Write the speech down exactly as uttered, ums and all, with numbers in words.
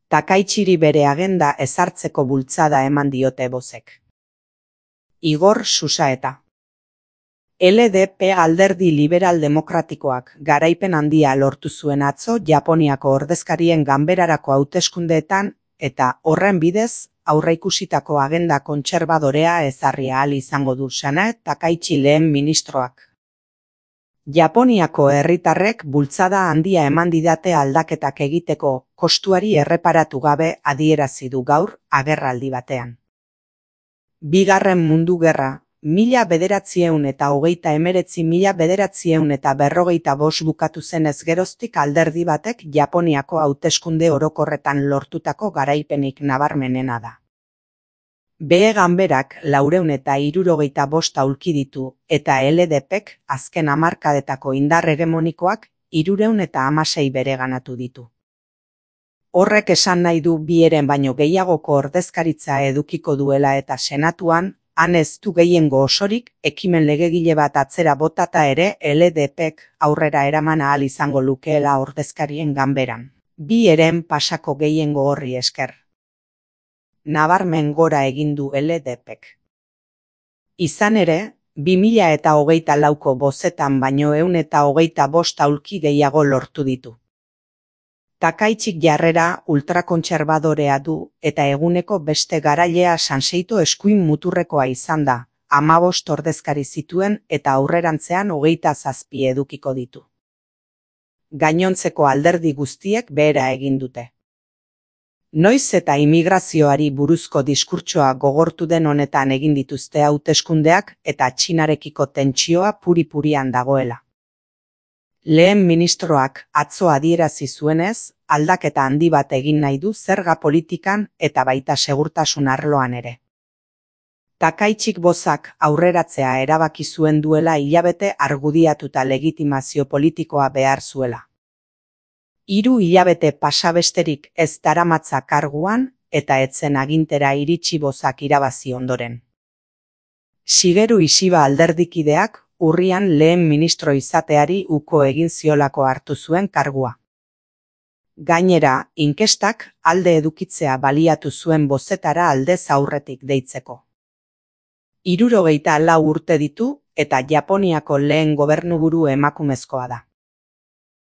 Takaichiri bere agenda ezartzeko bultzada eman diote bozek. Igor Xusaeta. L D P alderdi liberal demokratikoak garaipen handia lortu zuen atzo Japoniako ordezkarien ganberarako hauteskundeetan eta horren bidez aurreikusitako agenda kontserbadorea ezarri ahal izango du Sana Takaichi lehen ministroak. Japoniako herritarrek bultzada handia eman didate aldaketak egiteko kostuari erreparatu gabe adierazi du gaur agerraldi batean. Bigarren Mundu Gerra, mila bederatziehun eta hogeita hemeretzi mila bederatziehun eta berrogeita bost bukatu zenez geroztik alderdi batek Japoniako hauteskunde orokorretan lortutako garaipenik nabarmenena da. Behe ganberak laurehun eta hirurogeita bost aulki ditu eta L D Pk azken hamarkadetako indar hegemonikoak hirurehun eta hamasei bereganatu ditu. Horrek esan nahi du bi heren baino gehiagoko ordezkaritza edukiko duela eta senatuan, han ez du gehiengo osorik, ekimen legegile bat atzera botata ere L D Pk aurrera eraman ahal izango lukeela ordezkarien ganberan. Bi heren pasako gehiengo horri esker. Nabarmen gora egin du L D Pk. Izan ere, bi mila eta hogeita lauko bozetan baino ehun eta hogeita bost aulki gehiago lortu ditu. Takaichik jarrera ultrakontserbadorea du eta eguneko beste garailea Sanseito eskuin muturrekoa izan da, hamabost ordezkari zituen eta aurrerantzean hogeita zazpi edukiko ditu. Gainontzeko alderdi guztiek behera egin dute. Noiz eta immigrazioari buruzko diskurtsoa gogortu den honetan egin dituzte hauteskundeak eta Txinarekiko tentsioa puri-purian dagoela. Lehen ministroak atzo adierazi zuenez, aldaketa handi bat egin nahi du zerga politikan eta baita segurtasun arloan ere. Takaichik bozak aurreratzea erabaki zuen duela hilabete argudiatuta legitimazio politikoa behar zuela. Hiru hilabete pasa besterik ez daramatza karguan eta etzen agintera iritsi bozak irabazi ondoren. Shigeru Ishiba alderdikideak urrian lehen ministro izateari uko egin ziolako hartu zuen kargua. Gainera, inkestak alde edukitzea baliatu zuen bozetara aldez aurretik deitzeko. Hirurogeita lau urte ditu eta Japoniako lehen gobernuburu emakumezkoa da.